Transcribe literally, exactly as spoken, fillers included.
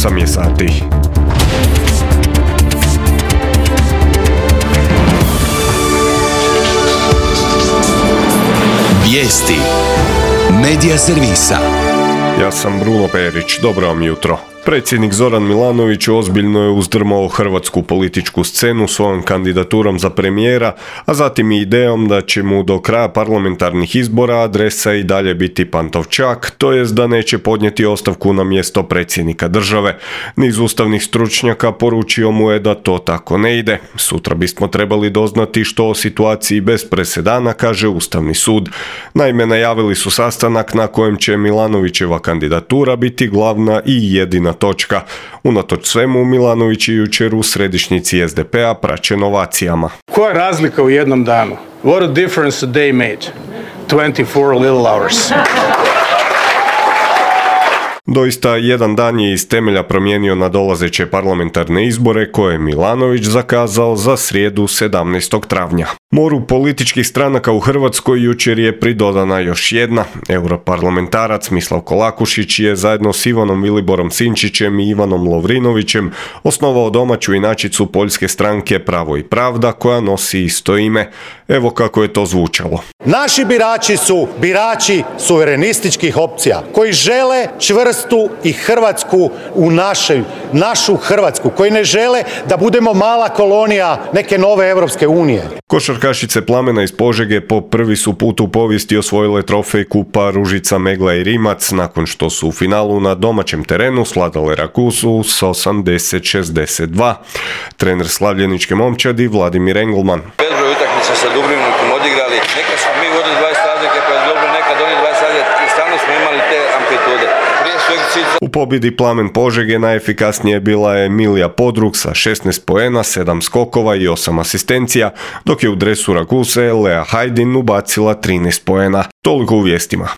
osam je sati. Vijesti Medija servisa. Ja sam Bruno Perić, dobro vam jutro. Predsjednik Zoran Milanović ozbiljno je uzdrmao hrvatsku političku scenu svojom kandidaturom za premijera, a zatim i idejom da će mu do kraja parlamentarnih izbora adresa i dalje biti Pantovčak, to jest da neće podnijeti ostavku na mjesto predsjednika države. Niz ustavnih stručnjaka poručio mu je da to tako ne ide. Sutra bismo trebali doznati što o situaciji bez presedana kaže Ustavni sud. Naime, najavili su sastanak na kojem će Milanovićeva kandidatura biti glavna i jedina točka. Unatoč svemu, Milanović je jučer u središnjici es de pe a praćen ovacijama. Koja je razlika u jednom danu? What a difference a day made. twenty-four little hours. Doista, jedan dan je iz temelja promijenio nadolazeće parlamentarne izbore koje je Milanović zakazao za srijedu sedamnaestog travnja. Moru političkih stranaka u Hrvatskoj jučer je pridodana još jedna. Europarlamentarac Mislav Kolakušić je zajedno s Ivanom Viliborom Sinčićem i Ivanom Lovrinovićem osnovao domaću inačicu poljske stranke Pravo i pravda koja nosi isto ime. Evo kako je to zvučalo. Naši birači su birači suverenističkih opcija koji žele čvrstu i Hrvatsku u našoj, našu Hrvatsku, koji ne žele da budemo mala kolonija neke nove Europske unije. Košarkašice Plamena iz Požege po prvi su put u povijesti osvojile trofej kupa Ružica, Megla i Rimac nakon što su u finalu na domaćem terenu svladale Raguzu s osamdeset šezdeset dva. Trener slavljeničke momčadi Vladimir Engelman. Bezbroj utakmica sa Dubrovnikom odigrali. Neka smo mi vodili dvadeset razlike pa je dobro, nekad oni dvadeset razlike i stalno smo imali te amplitude. U pobjedi Plamen Požege najefikasnije je bila Emilija Podrug sa šesnaest poena, sedam skokova i osam asistencija, dok je u dresu Raguse Lea Hajdin ubacila trinaest poena. Toliko u vijestima.